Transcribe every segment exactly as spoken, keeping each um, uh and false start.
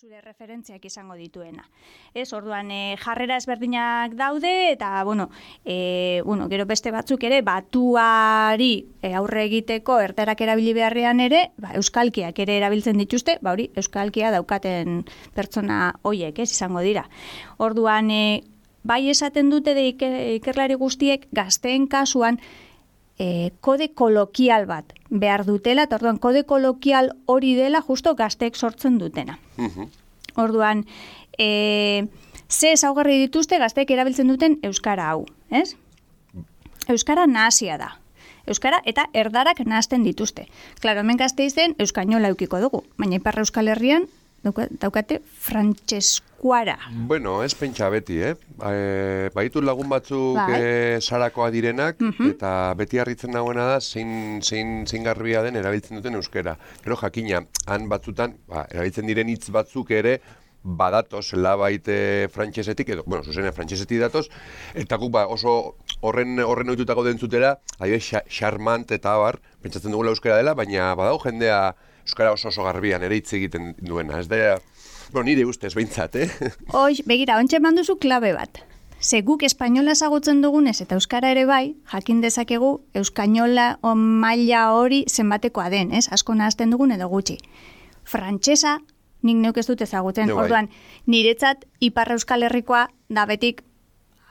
zure referentziak izango dituena. Ez, orduan e, jarrera ezberdinak daude eta bueno, e, bueno, gero beste batzuk ere batuari e, aurre egiteko erdarak erabili beharrean ere, ba, euskalkiak ere erabiltzen dituzte, ba hori euskalkia daukaten pertsona hoiek, ez, izango dira. Orduan e, bai esaten dute de ikerlari guztiek gazteen kasuan E, kode kolokial bat behar dutela, eta orduan kode kolokial hori dela justo gazteek sortzen dutena. Uh-huh. Orduan, e, ze ezaugarri dituzte gazteek erabiltzen duten euskara hau, ez? Euskara nahasia da. Euskara eta erdarak nahasten dituzte. Klaro, hemen Gasteizen euskainola eukiko dugu, baina Ipar Euskal Herrian daukate frantseskuara. Bueno, ez pentsa beti, eh? E, baitu lagun batzuk bai. e, sarakoa direnak, uh-huh. eta beti harritzen dagoena da zein, zein, zein garbia den erabiltzen duten euskera. Gero jakina, han batzutan, ba, erabiltzen diren hitz batzuk ere, badatoz labait frantsesetik, edo, bueno, zuzene frantsesetik datoz, eta guk ba, oso horren horren ohitutako dentzutera, adibidez, charmant eta abar, pentsatzen dugula euskera dela, baina badago jendea euskara oso oso garbian ere hitz egiten duena. Ez da, bueno, nire ustez behintzat, eh? Hoy, begira, ontxe manduzu klabe bat. Ze guk espainola ezagutzen dugunez eta euskara ere bai, jakin dezakegu euskainola maila hori zenbatekoa den, ez? Asko nahazten dugun edo gutxi. Frantsesa, nik neuk ez dut ezagutzen. No, orduan, niretzat Ipar Euskal Herrikoa da betik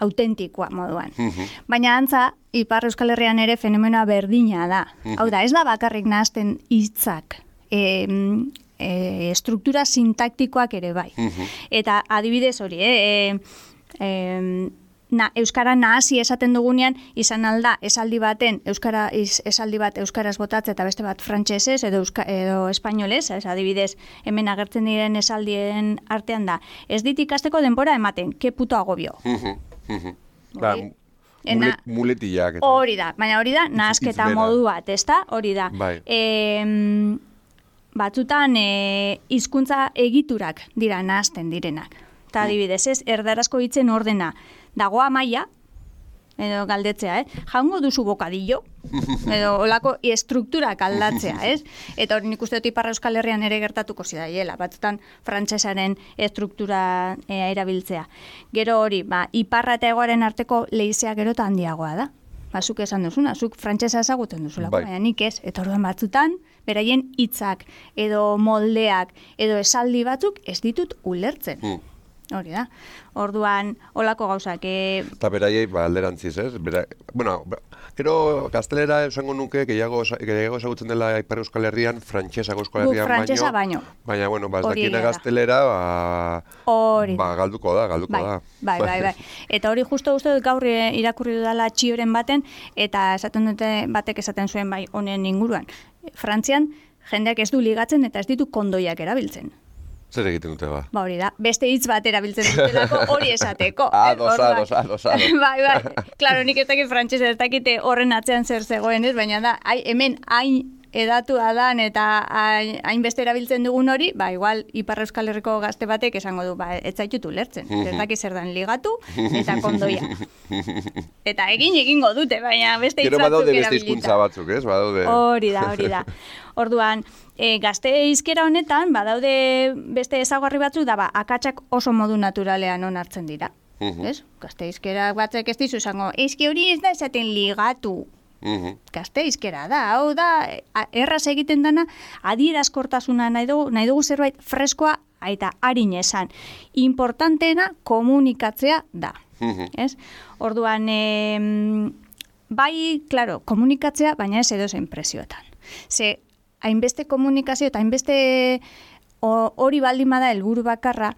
autentikoa moduan. Uh-huh. Baina antza, Ipar Euskal Herrian ere fenomenoa berdina da. Uh-huh. Hau da, ez da bakarrik nahazten hitzak. E, e, struktura sintaktikoak ere bai. Uh-huh. Eta adibidez hori, eh? E, e, na, euskara nahasi esaten dugunean, izan alda esaldi baten, euskara iz, esaldi bat euskaraz botatze eta beste bat frantsesez edo, euska, edo espainolez, ez, adibidez, hemen agertzen diren esaldien artean da. Ez dit ikasteko denbora ematen, ke puto agobio. Uh-huh. Uh-huh. Ba, mulet, muletillak. Hori da, baina hori da, nahasketa modu bat, ez da? Hori da. Bai. E, batzutan e, hizkuntza egiturak dira nahazten direnak. Eta adibidez, ez, erdarazko hitzen ordena dago amaia, edo galdetzea, eh? Jaungo duzu bokadillo, edo olako estrukturak aldatzea, ez? Eta hori nik uste dut Ipar Euskal Herrian ere gertatuko zidaiela, batzutan frantsesaren estruktura e, erabiltzea. Gero hori, ba, Iparra eta Hegoaren arteko leizea gero eta handiagoa da. Ba, zuk esan duzuna, zuk frantsesa ezagutzen duzula, bai. Baina nik ez, eta orduan batzutan, beraien hitzak edo moldeak edo esaldi batzuk ez ditut ulertzen. Hmm. Hori da. Orduan, holako gauzak. E... Eta beraiei, ba, alderantziz, ez? Bera, bueno, gero gaztelera esango nuke, gehiago ezagutzen dela Ipar Euskal Herrian, frantsesako Euskal Herrian baino, baino. Baina, bueno, ba, ez dakiena gaztelera, ba, ba, galduko da, galduko bai, da. Bai, bai, bai. Eta hori justo uste dut gaur irakurri dudala txioren baten, eta esaten dute batek esaten zuen bai honen inguruan. Frantzian, jendeak ez du ligatzen eta ez ditu kondoiak erabiltzen. Zer egiten dute ba? Ba hori da, beste hitz bat erabiltzen dutelako hori esateko. Ados, ados, ados, ados. Bai, bai, klaro, nik ez dakit frantsesa ez dakite horren atzean zer zegoen, ez? Baina da, ai, hemen hain edatua dan eta hainbeste erabiltzen dugun hori, ba, igual Ipar Euskal Herriko gazte batek esango du, ba, ez zaitutu lertzen. Ez dakit zer dan ligatu eta kondoia. Eta egin egingo dute, baina beste hitz batzuk erabilita. Gero badaude beste hizkuntza batzuk, ez? Badaude. Hori da, hori da. Orduan, e, gazte hizkera honetan, badaude beste ezaugarri batzuk, da ba, akatsak oso modu naturalean onartzen dira. Uh-huh. Ez? Gazte hizkera batzuk ez dizu esango, eski hori ez da esaten ligatu. Uh-huh. Gazte hizkera da, hau da, erraz egiten dana, adierazkortasuna nahi dugu, nahi dugu zerbait freskoa eta harin esan. Importanteena komunikatzea da. Uh-huh. Ez? Orduan, e, bai, klaro, komunikatzea, baina ez edozein presioetan. Ze, hainbeste komunikazio eta hainbeste hori baldin bada helburu bakarra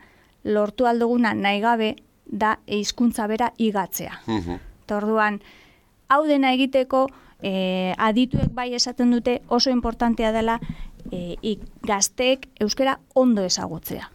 lortu alduguna nahi gabe da hizkuntza bera igatzea. Uh-huh. Eta orduan, hau dena egiteko e, adituek bai esaten dute oso importantea dela e, gazteek euskara ondo ezagutzea.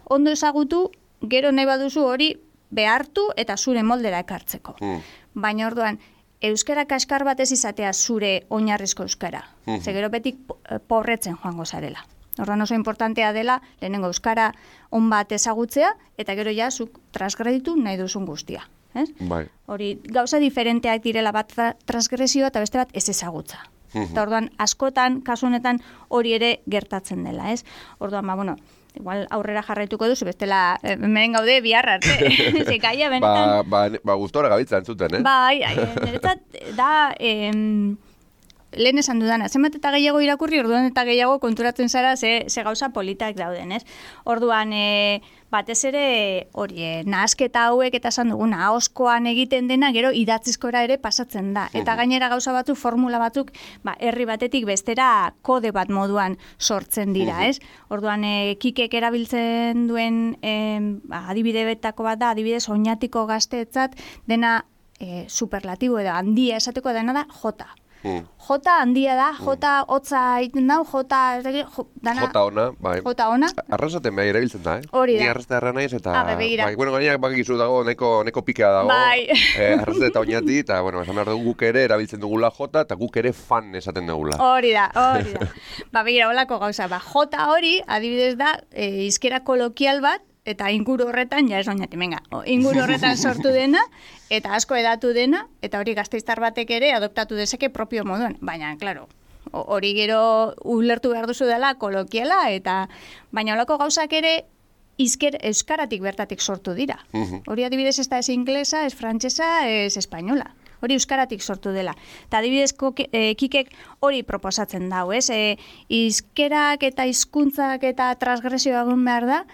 Ondo ezagutu, gero nahi baduzu hori behartu eta zure moldera ekartzeko. Uh-huh. Baina orduan, euskara kaskar batez izatea zure oinarrizko euskara. Uh-huh. Ze gero betik porretzen joango zarela. Orduan oso importantea dela, lehenengo euskara on bat ezagutzea, eta gero ja zuk transgreditu nahi duzun guztia. Ez? Bai. Hori gauza diferenteak direla, bat transgresioa eta beste bat ez ezagutza. Uh-huh. Eta orduan askotan, kasu honetan hori ere gertatzen dela, ez? Orduan, ba, bueno, igual aurrera jarraituko duzu, bestela hemen gaude bihar arte. Zekaia, benetan. Ba, ba, ba gustora gabiltza entzuten, eh? Bai, niretzat da... Em, lehen esan dudana, zenbat eta gehiago irakurri, orduan eta gehiago konturatzen zara ze, ze gauza politak dauden, ez? Orduan, e, batez ere, hori, e, nahasketa hauek eta esan duguna, ahoskoan egiten dena, gero idatzizkora ere pasatzen da. Eta gainera gauza batzuk, formula batzuk, ba, herri batetik bestera kode bat moduan sortzen dira, ez? Orduan, e, Kikek erabiltzen duen e, adibide betako bat da, adibidez, oinatiko gazteetzat, dena e, superlatibo edo handia esateko dena da jota. Mm. Jota handia da, jota hotza egiten dau, jota... Dana, jota ona, bai. Jota ona. Arrasaten bai erabiltzen da, eh? Hori da. Ni arrastea erra naiz eta... Ah, begira. Bai, bueno, gainak bakizu dago, neko, neko pikea dago. Bai. Eh, arrastea eta oinati, eta, bueno, esan behar dugu guk ere erabiltzen dugula jota, eta guk ere fan esaten dugula. Hori da, hori da. Ba, begira, holako gauza, ba, jota hori, adibidez da, e, izkera kolokial bat, eta inguru horretan, ja ez oinati, venga, inguru horretan sortu dena, eta asko edatu dena, eta hori gazteiztar batek ere adoptatu dezake propio moduan. Baina, klaro, hori gero ulertu behar duzu dela kolokiala, eta baina holako gauzak ere izker, euskaratik bertatik sortu dira. Hori adibidez ez da ez inglesa, ez frantsesa, ez espainola. Hori euskaratik sortu dela. Eta adibidez e, Kikek hori proposatzen dau, ez? E, izkerak eta hizkuntzak eta transgresioa egon behar da,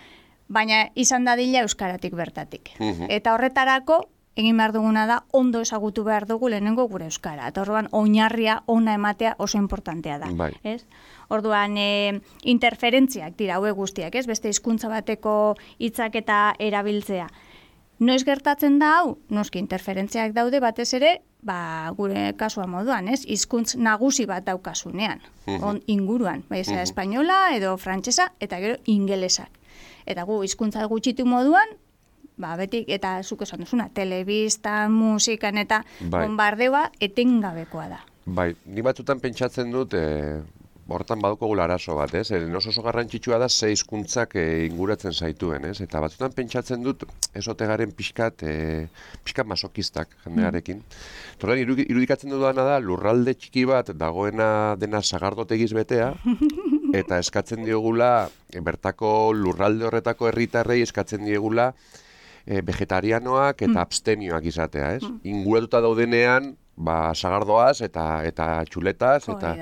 baina izan dadila euskaratik bertatik. Uh-huh. Eta horretarako, egin behar duguna da, ondo ezagutu behar dugu lehenengo gure euskara. Eta orduan, oinarria ona ematea oso importantea da. Bai. Ez? Orduan, e, interferentziak dira, hauek guztiak, ez? Beste hizkuntza bateko hitzak eta erabiltzea. Noiz gertatzen da hau? Noski interferentziak daude batez ere, ba, gure kasua moduan, ez? Hizkuntz nagusi bat daukasunean, uh-huh. on inguruan. Bai, uh-huh. espainola edo frantsesa eta gero ingelesak. Eta gu hizkuntza gutxitu moduan, ba, betik, eta zuk esan duzuna, telebistan, musikan eta bai. Bombardeoa etengabekoa da. Bai, ni batzutan pentsatzen dut, e, hortan baduko gula arazo bat, ez? Eren oso oso garrantzitsua da ze hizkuntzak e, inguratzen zaituen, ez? Eta batzutan pentsatzen dut, ezote garen pixkat, e, pixkat masokistak jendearekin. Mm. Torren, irudikatzen dudana da, lurralde txiki bat dagoena dena sagardotegiz betea, eta eskatzen diogula, e, bertako lurralde horretako herritarrei eskatzen diogula e, vegetarianoak eta mm. abstenioak izatea, ez? Mm. Inguratuta daudenean, ba, sagardoaz eta eta txuletaz, eta...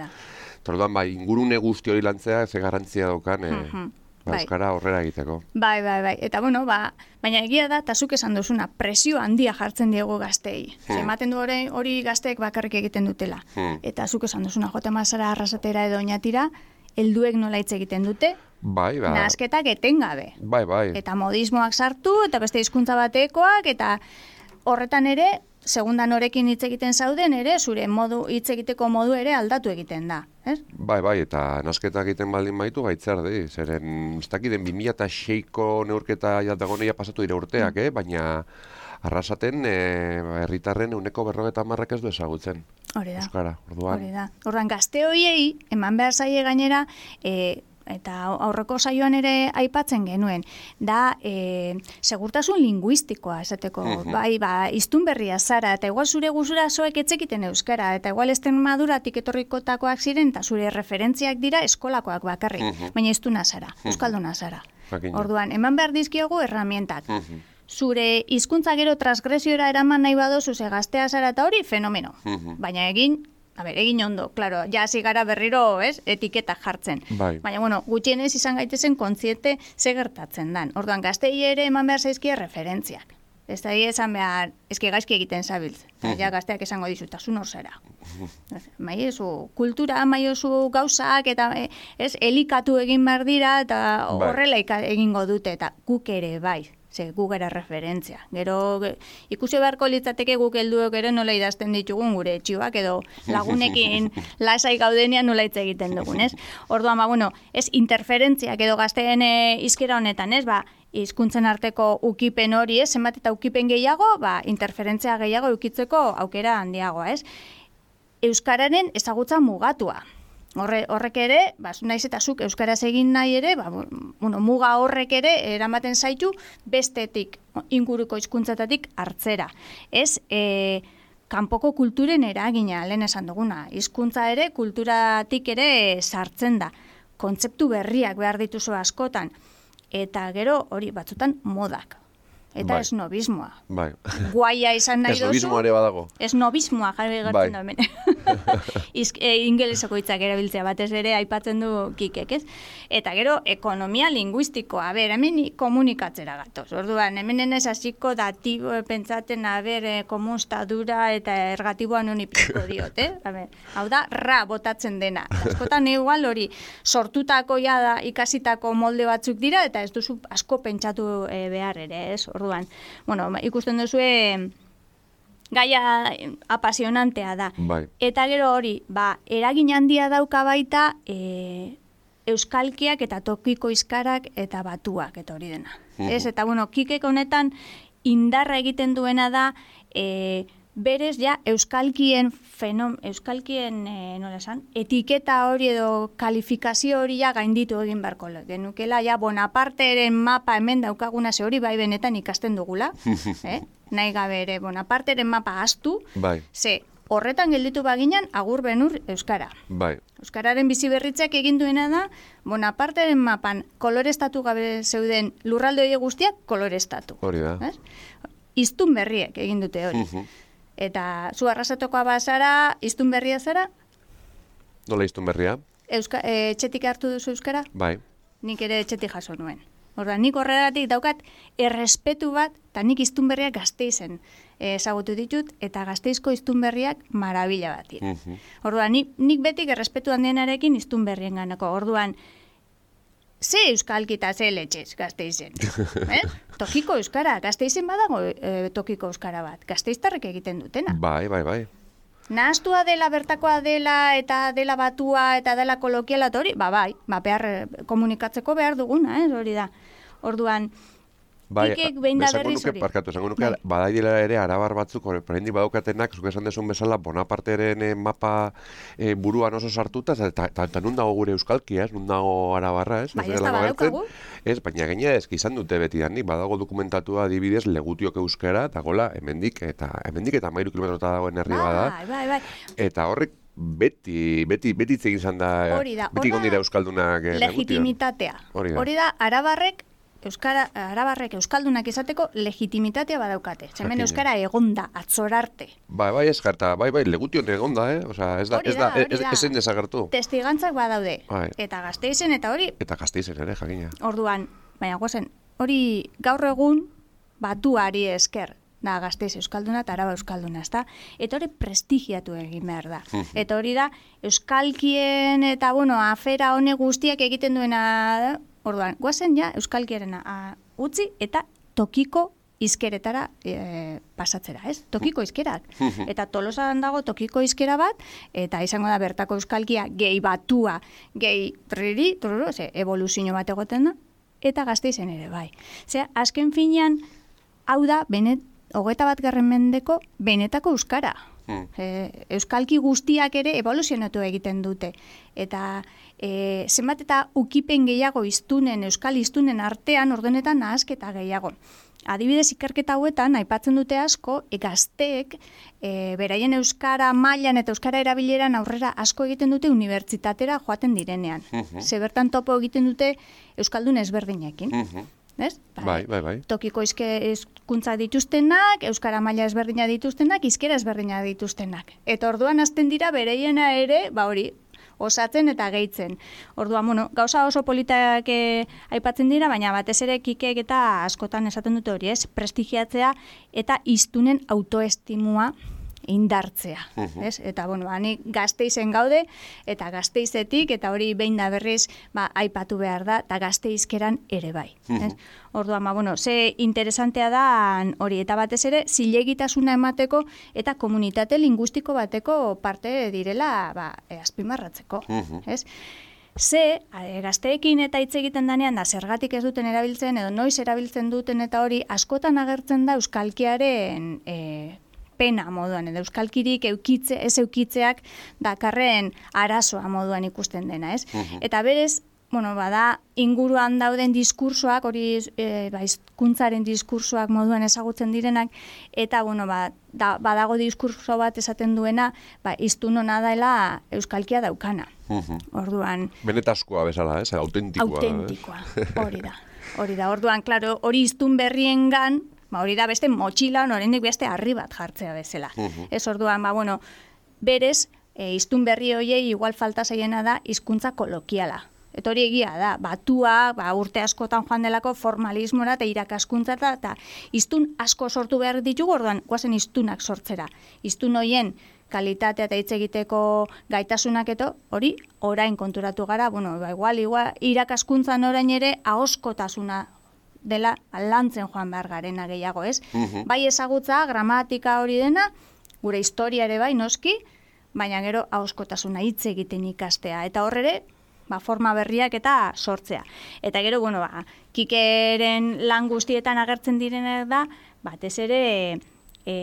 Torduan, bai, ingurune guzti hori lantzea, ze garrantzia daukan, e, mm-hmm. ba, euskara horrera egiteko. Bai, bai, bai. Eta, bueno, ba, baina egia da, eta zuk esan duzuna, presio handia jartzen diegu gaztei. Hmm. Ematen du hori, hori gazteek bakarrik egiten dutela. Hmm. Eta zuk esan duzuna, jote mazara arrasatera edo oinatira, helduek nola hitz egiten dute, bai, ba. Nahasketak etengabe. Bai, bai. Eta modismoak sartu, eta beste hizkuntza batekoak, eta horretan ere, segundan norekin hitz egiten zauden ere, zure modu hitz egiteko modu ere aldatu egiten da, ez? Bai, bai, eta nasketak egiten baldin baitu gaitzer di, zeren, ez dakiden bi mila seiko neurketa jatagoneia pasatu dira urteak, mm. eh? Baina arrasaten e, herritarren ehuneko berrogeita hamarrak ez du ezagutzen. Hori da. Euskara, orduan. Hori da. Orduan, gazte horiei, eman behar zaie gainera, e, eta aurreko saioan ere aipatzen genuen, da e, segurtasun linguistikoa, esateko, uh-huh. bai, ba, iztun berria zara, eta igual zure guzura zoek etzekiten euskara, eta igual Extremaduratik etorrikotakoak ziren, eta zure referentziak dira eskolakoak bakarrik, uh-huh. baina iztuna zara, uh-huh. euskalduna zara. Bakina. Orduan, eman behar dizkiogu erramientak. Uh-huh. Zure hizkuntza gero transgresiora eraman nahi badozu ze gaztea zara eta hori, fenomeno. Uh-huh. Baina egin, a ber, egin ondo, claro, ja hasi gara berriro, ez, etiketak jartzen. Bai. Baina, bueno, gutxienez izan gaitezen kontziente ze gertatzen dan. Orduan, gaztei ere eman behar zaizkia referentziak. Ez da esan behar, eski gaizki egiten zabiltz. Uh-huh. Ja gazteak esango dizuta, zu nor zara. Uh-huh. Maiezu, kultura, maiozu gauzak, eta ez, elikatu egin behar dira, eta horrela bai. Egingo dute, eta guk ere bai. Ze gu gara referentzia. Gero ikusi beharko litzateke guk helduok ere nola idazten ditugun gure etxioak edo lagunekin lasai gaudenean nola hitz egiten dugun, ez? Orduan, ba, bueno, ez interferentziak edo gazteen hizkera honetan, ez? Ba, hizkuntzen arteko ukipen hori, ez? Zenbat eta ukipen gehiago, ba, interferentzia gehiago ukitzeko aukera handiagoa, ez? Euskararen ezagutza mugatua. Horre, horrek ere, ba, naiz eta zuk euskaraz egin nahi ere, ba, bueno, muga horrek ere eramaten zaitu bestetik, inguruko hizkuntzatatik hartzera. Ez, e, kanpoko kulturen eragina, lehen esan duguna, hizkuntza ere, kulturatik ere sartzen da. Kontzeptu berriak behar dituzu askotan. eta gero hori batzutan modak. Eta bai. esnobismoa. Bai. Guaia izan nahi dozu. Esnobismoa ere badago. Esnobismoa jarri gertzen bai. da hemen. Izk, e, ingeleseko hitzak erabiltzea batez ere aipatzen du Kikek, ez? Eta gero, ekonomia linguistikoa. A ber, hemen komunikatzera gatoz. Orduan, hemen enez hasiko datibo pentsaten, a ber, e, komunstadura eta ergatiboan honi piko diot, eh? A ber, hau da, ra botatzen dena. Askotan igual hori sortutako ja da ikasitako molde batzuk dira, eta ez duzu asko pentsatu e, behar ere, ez? Orduan, bueno, ikusten duzue gaia apasionantea da. Bai. Eta gero hori, ba, eragin handia dauka baita e, euskalkiak eta tokiko hizkarak eta batuak eta hori dena. Mm. Ez, eta bueno, Kikek honetan indarra egiten duena da e, berez ja euskalkien fenom, euskalkien e, nola esan, etiketa hori edo kalifikazio hori ja gainditu egin beharko genukela, ja Bonaparteren mapa hemen daukaguna ze hori bai benetan ikasten dugula, eh? Nahi gabe ere Bonaparteren mapa astu, bai. Ze horretan gelditu baginan agur benur euskara. Bai. Euskararen bizi berritzeak egin duena da Bonaparteren mapan kolorestatu gabe zeuden lurralde hori guztiak kolorestatu. Hori da. Eh? Iztun berriek egin dute hori. Uh-huh. Eta zu arrasatokoa bazara, iztun berria zara? Nola iztun berria? Euska, e, etxetik hartu duzu euskara? Bai. Nik ere etxetik jaso nuen. Orduan, nik horregatik daukat errespetu bat, eta nik iztun berriak Gasteizen ezagutu ditut, eta Gasteizko iztun berriak marabila bat dira. Uh-huh. Orduan, nik, nik betik errespetu handienarekin iztun berrien ganako. Orduan, ze euskalki eta ze letxez Gasteizen. Eh? Tokiko euskara, Gasteizen badago e, tokiko euskara bat. Gasteiztarrek egiten dutena. Bai, bai, bai. Nahastua dela, bertakoa dela, eta dela batua, eta dela kolokiala, eta hori, ba, bai, ba, behar, komunikatzeko behar duguna, eh, hori da. Orduan, bai, Kikek behin da berriz hori. Parkatu, esango nuke, bai. Badaidela ere arabar batzuk, horrendik badaukatenak, zuk esan desun bezala, Bonaparteren eh, mapa eh, buruan oso sartuta, eta, eta, eta nun dago gure euskalkia, ez? Nun dago arabarra, ez? Bai, ez da badaukagu. Ez, baina gaina ez, izan dute beti danik, badago dokumentatua adibidez legutiok euskara, eta gola, hemendik, eta hemendik eta mairu kilometrota dagoen herri bada. Bai, bai, bai. Eta horrek beti, beti, beti itzegin izan da, da beti gondira euskaldunak eh, legitimitatea. Hori da. Hori da, arabarrek, Euskara, arabarrek euskaldunak izateko legitimitatea badaukate. Hemen euskara egonda, atzorarte. Bai, bai, ez jarta, bai, bai, legution egonda, eh? Osea, ez da, ez da, ez da, ezin desagertu. Testigantzak badaude. Bai. Eta Gasteizen eta hori. Eta Gasteizen ere, jakina. Orduan, baina gozen, hori gaur egun batuari esker da Gasteiz euskalduna eta Araba euskalduna, ezta? Eta hori prestigiatu egin behar da. Eta hori da, euskalkien eta, bueno, afera hone guztiak egiten duena da. Orduan, guazen ja euskalkierena utzi eta tokiko hizkeretara e, pasatzera, ez? Tokiko hizkerak. Eta Tolosan dago tokiko hizkera bat, eta izango da bertako euskalkia gehi batua, gehi triri, truru, ze, evoluzio bat egoten da, eta Gasteizen ere bai. Ze, azken finean, hau da, benet, hogeita bat garren mendeko benetako euskara. Hmm. E, euskalki guztiak ere evoluzionatu egiten dute. Eta e, zenbat eta ukipen gehiago iztunen, euskal iztunen artean ordenetan nahasketa gehiago. Adibidez, ikerketa hauetan, aipatzen dute asko, e, gazteek e, beraien euskara mailan eta euskara erabileran aurrera asko egiten dute unibertsitatera joaten direnean. Uh-huh. Ze bertan topo egiten dute euskaldun ezberdinekin. Uh-huh. Ez? Bai, bai, bai. Tokiko hizkuntza dituztenak, euskara maila ezberdina dituztenak, hizkera ezberdina dituztenak. Eta orduan hasten dira bereiena ere, ba hori, osatzen eta gehitzen. Orduan, bueno, gauza oso politak eh, aipatzen dira, baina batez ere Kikek eta askotan esaten dute hori, ez? Prestigiatzea eta hiztunen autoestimua indartzea, uh-huh. ez? Eta, bueno, hani Gasteizen gaude, eta Gasteizetik, eta hori behin da berriz, ba, aipatu behar da, eta Gasteizkeran ere bai, uh-huh. ez? Orduan, ba, bueno, ze interesantea da hori, eta batez ere, zilegitasuna emateko, eta komunitate lingustiko bateko parte direla, ba, e, azpimarratzeko, uh-huh. ez? Ze, e, gazteekin eta hitz egiten danean da, zergatik ez duten erabiltzen, edo noiz erabiltzen duten, eta hori, askotan agertzen da euskalkiaren e, pena moduan, edo euskalkirik eukitze, ez eukitzeak dakarren arazoa moduan ikusten dena, ez? Uh-huh. Eta berez, bueno, bada, inguruan dauden diskursoak, hori e, ba, hizkuntzaren diskursoak moduan ezagutzen direnak, eta, bueno, ba, da, badago diskurso bat esaten duena, ba, hiztun hona dela euskalkia daukana. Uh-huh. Orduan... Benetaskoa bezala, ez? Autentikoa. Autentikoa, hori da. Hori da, orduan, klaro, hori hiztun berriengan, ba, hori da beste motxilan, oraindik beste harri bat jartzea bezala. Uh-huh. Ez orduan, ba, bueno, berez, e, hiztun berri hoiei igual falta zaiena da hizkuntza kolokiala. Eta hori egia da, batua, ba, urte askotan joan delako formalismora eta irakaskuntza eta hiztun asko sortu behar ditugu, orduan, guazen hiztunak sortzera. Hiztun hoien kalitatea eta hitz egiteko gaitasunak eto, hori orain konturatu gara, bueno, ba, igual, igual, irakaskuntzan orain ere ahoskotasuna dela lantzen joan behar garena gehiago, ez? Uh-huh. Bai ezagutza, gramatika hori dena, gure historia ere bai, noski, baina gero ahoskotasuna hitz egiten ikastea. Eta horrere, ba, forma berriak eta sortzea. Eta gero, bueno, ba, Kikeren lan guztietan agertzen direnak da, batez ere e,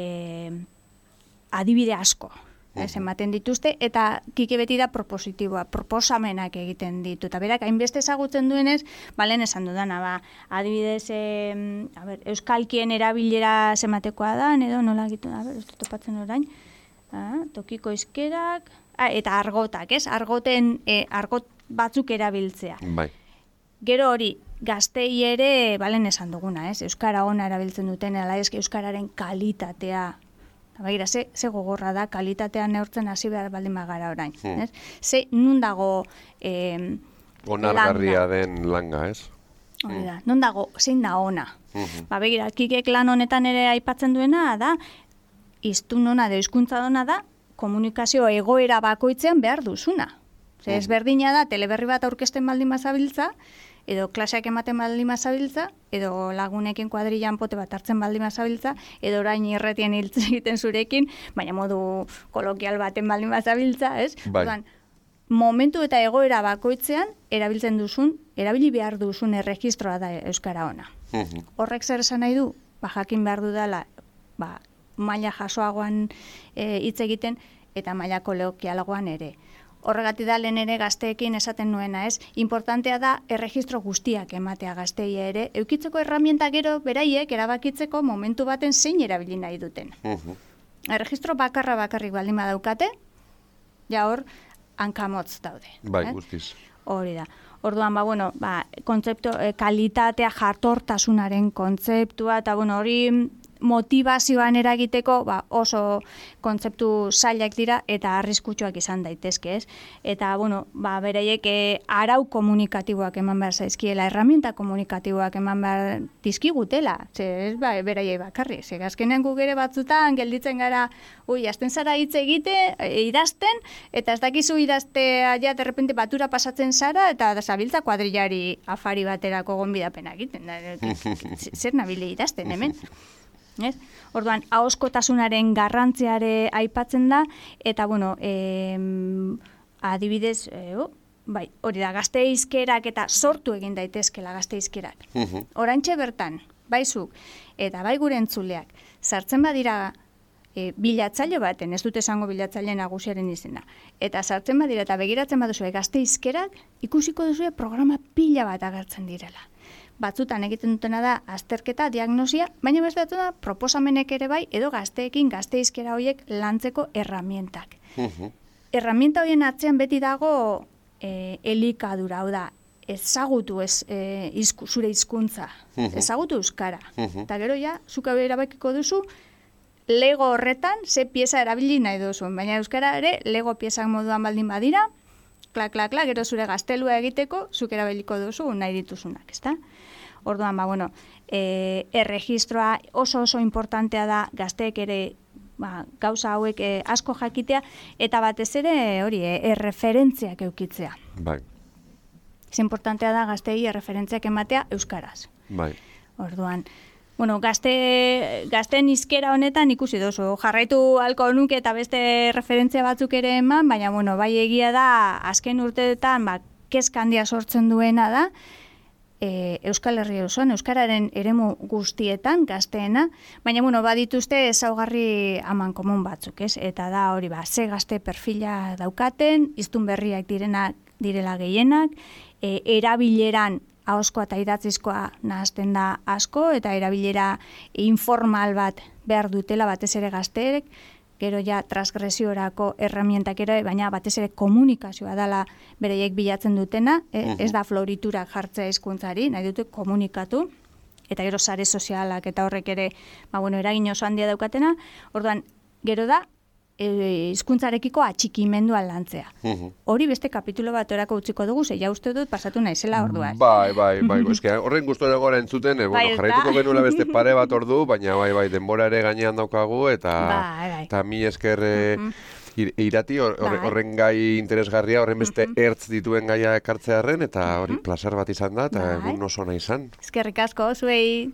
adibide asko. Ez, ematen dituzte, eta Kike beti da propositiboa, proposamenak egiten ditu. Eta berak, hainbeste ezagutzen duenez, balen esan dudana, ba, adibidez, e, a ber, euskalkien erabilera zematekoa da, edo nola egiten, a ber, ez dut topatzen orain, ah, tokiko izkerak, ah, eta argotak, ez? Argoten, e, argot batzuk erabiltzea. Bai. Gero hori, gaztei ere, balen esan duguna, ez? Euskara ona erabiltzen duten, ala ez, euskararen kalitatea, Bagira, ze, ze gogorra da, kalitatea neurtzen hasi behar baldin magara orain. Hmm. Ez? Ze, nun dago eh, onargarria langa. Den langa, ez? Hori da, nun dago, zein da ona. Hmm. Ba, begira, Kikek lan honetan ere aipatzen duena, da, hiztun ona da, hizkuntza dona da, komunikazio egoera bakoitzean behar duzuna. Ze, hmm. ezberdina da, teleberri bat aurkezten baldin bazabiltza, edo klaseak ematen baldin bazabiltza, edo lagunekin kuadrillan pote bat hartzen baldin bazabiltza, edo orain irretien hiltzen egiten zurekin, baina modu kolokial baten baldin bazabiltza, ez? Bai. Odan, momentu eta egoera bakoitzean, erabiltzen duzun, erabili behar duzun erregistroa da euskara ona. Uh-huh. Horrek zer esan nahi du? Ba, jakin behar dudala, ba, maila jasoagoan hitz e, egiten, eta maila kolokialagoan ere. Horregatik da lehen ere gazteekin esaten nuena, ez? Importantea da erregistro guztiak ematea gaztei ere, eukitzeko erramienta gero beraiek erabakitzeko momentu baten zein erabili nahi duten. Uh-huh. Erregistro bakarra bakarrik baldin badaukate, ja hor hankamotz daude. Bai, eh? guztiz. Hori da. Orduan, ba, bueno, ba, kontzeptu, eh, kalitatea, jartortasunaren kontzeptua, eta, bueno, hori motivazioan eragiteko ba, oso kontzeptu zailak dira eta arriskutsuak izan daitezke, ez? Eta, bueno, ba, beraiek e, arau komunikatiboak eman behar zaizkiela, herramienta komunikatiboak eman behar dizkigutela, ze ez ba, beraiek bakarri, ze azkenean guk ere batzutan gelditzen gara, ui, azten zara hitz egite, e, idazten, eta ez dakizu idaztea ja, derrepente batura pasatzen zara, eta zabiltza kuadrillari afari baterako gonbidapena egiten, zer nabile idazten hemen? Ez? Orduan, ahoskotasunaren garrantziare aipatzen da, eta, bueno, e, adibidez, e, oh, bai, hori da, gazte hizkerak eta sortu egin daitezkela gazte hizkerak. Uh-huh. Orantxe bertan, baizuk, eta bai gure entzuleak, sartzen badira e, bilatzaile baten, ez dute esango bilatzaile nagusiaren izena, eta sartzen badira eta begiratzen baduzu gazte hizkerak, ikusiko duzu programa pila bat agertzen direla. Batzutan egiten dutena da azterketa, diagnosia, baina beste da proposamenek ere bai, edo gazteekin gazte hizkera horiek lantzeko erramientak. Uh-huh. Erramienta horien atzean beti dago e, elikadura, hau da, ezagutu ez, e, izku, zure hizkuntza, uh-huh. ezagutu euskara. Uh-huh. Eta gero ja, zuka erabakiko duzu, lego horretan ze pieza erabili nahi duzu, baina euskara ere lego piezak moduan baldin badira, klak, klak, klak, gero zure gaztelua egiteko, zuk erabiliko duzu nahi dituzunak, ezta? Orduan, ba, bueno, e, erregistroa oso oso importantea da gazteek ere ba, gauza hauek e, asko jakitea, eta batez ere hori, e, erreferentziak eukitzea. Bai. Ez importantea da gazteei erreferentziak ematea euskaraz. Bai. Orduan, bueno, gazte, gazten hizkera honetan ikusi dozu, jarraitu halko nuke eta beste referentzia batzuk ere eman, baina, bueno, bai egia da, azken urteetan, ba, kezka handia sortzen duena da, E, Euskal Herria osoan, euskararen eremu guztietan gazteena, baina bueno, badituzte ezaugarri aman komun batzuk, ez? Eta da hori ba, ze gazte perfila daukaten, hiztun berriak direnak direla gehienak, e, erabileran ahozkoa eta idatzizkoa nahazten da asko, eta erabilera informal bat behar dutela batez ere gazteek, gero ja transgresiorako erramientak ere, baina batez ere komunikazioa dela bereiek bilatzen dutena, e, ez da floriturak jartzea hizkuntzari, nahi dute komunikatu, eta gero sare sozialak eta horrek ere, ba, bueno, eragin oso handia daukatena, orduan, gero da, hizkuntzarekiko atxikimendua lantzea. Hori beste kapitulo bat orako utziko dugu, ze ja uste dut pasatu naizela orduan. Bai, bai, bai, eske horren gustora gora entzuten, eh, bueno, jarraituko genuela beste pare bat ordu, baina bai, bai, denbora ere gainean daukagu, eta eta mi esker irati horren gai interesgarria, horren beste ertz dituen gaia ekartzearen, eta hori plazer bat izan da, eta egun oso nahi izan. Eskerrik asko, zuei.